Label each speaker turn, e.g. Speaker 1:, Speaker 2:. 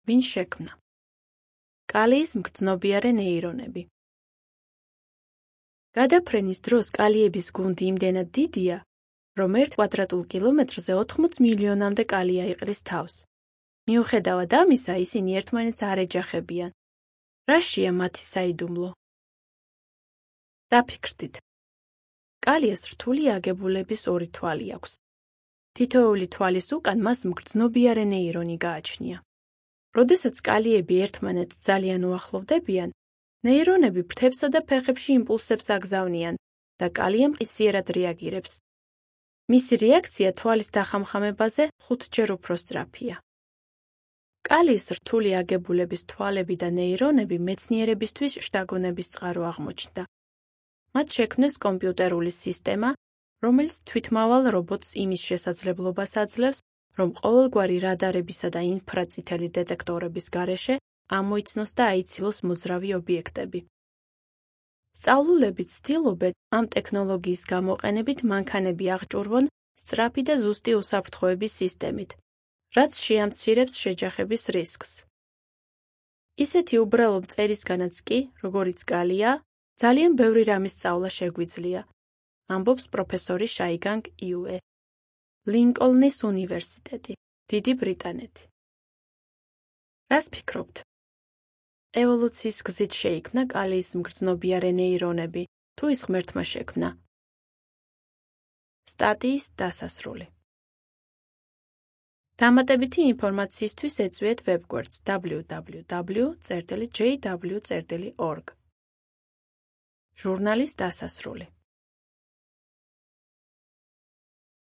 Speaker 1: ვინ შექმნა? კალიის მგრძნობიარე ნეირონები. გადაფრენის დროს კალიების გუნდი იმდენად დიდია, რომ 1 კვადრატულ კილომეტრზე 80 მილიონამდე კალი აიყრის თავს. მიუხედავად ამისა, ისინი ერთმანეთს არ ეჯახებიან. რაშია მათი საიდუმლო? დაფიქრდით. კალიას რთული აგებულების 2 თვალი აქვს. თითოეული თვალის უკან მას მგრძნობიარე ნეირონი გააჩნია. როდესაც კალიები ერთმანეთს ძალიან უახლოვდებიან, ნეირონები ფრთებსა და ფეხებში იმპულსებს აგზავნიან და კალია მყისიერად რეაგირებს. მისი რეაქცია თვალის დახამხამებაზე 5-ჯერ უფრო სწრაფია. კალის რთული აგებულების თვალები და ნეირონები მეცნიერებისთვის შთაგონების წყარო აღმოჩნდა. მათ შექმნეს კომპიუტერული სისტემა, რომელიც თვითმავალ რობოტს იმის შესაძლებლობას აძლევს, რომ ყოველგვარი რადარებისა და ინფრაწითელი დეტექტორების გარეშე ამოიცნოს და აიცილოს მოძრავი ობიექტები. სწავლულები ცდილობენ ამ ტექნოლოგიის გამოყენებით მანქანები აღჭურვონ სწრაფი და ზუსტი უსაფრთხოების სისტემით, რაც შეამცირებს შეჯახების რისკს. ისეთი უბრალო მწერისგანაც კი, როგორიც კალია, ძალიან ბევრი რამის სწავლა შეგვიძლია, ამბობს პროფესორი შაიგანგ იუე. ლინკოლნის უნივერსიტეტი, დიდი ბრიტანეთი. რას ფიქრობთ? ევოლუციის გზით შეიქმნა კალიის მგრძნობიარე ნეირონები, თუ ის ღმერთმა შექმნა? სტატიის დასასრული. დამატებითი ინფორმაციისთვის ეწვიეთ ვებგვერდს www.jw.org. ჟურნალის დასასრული.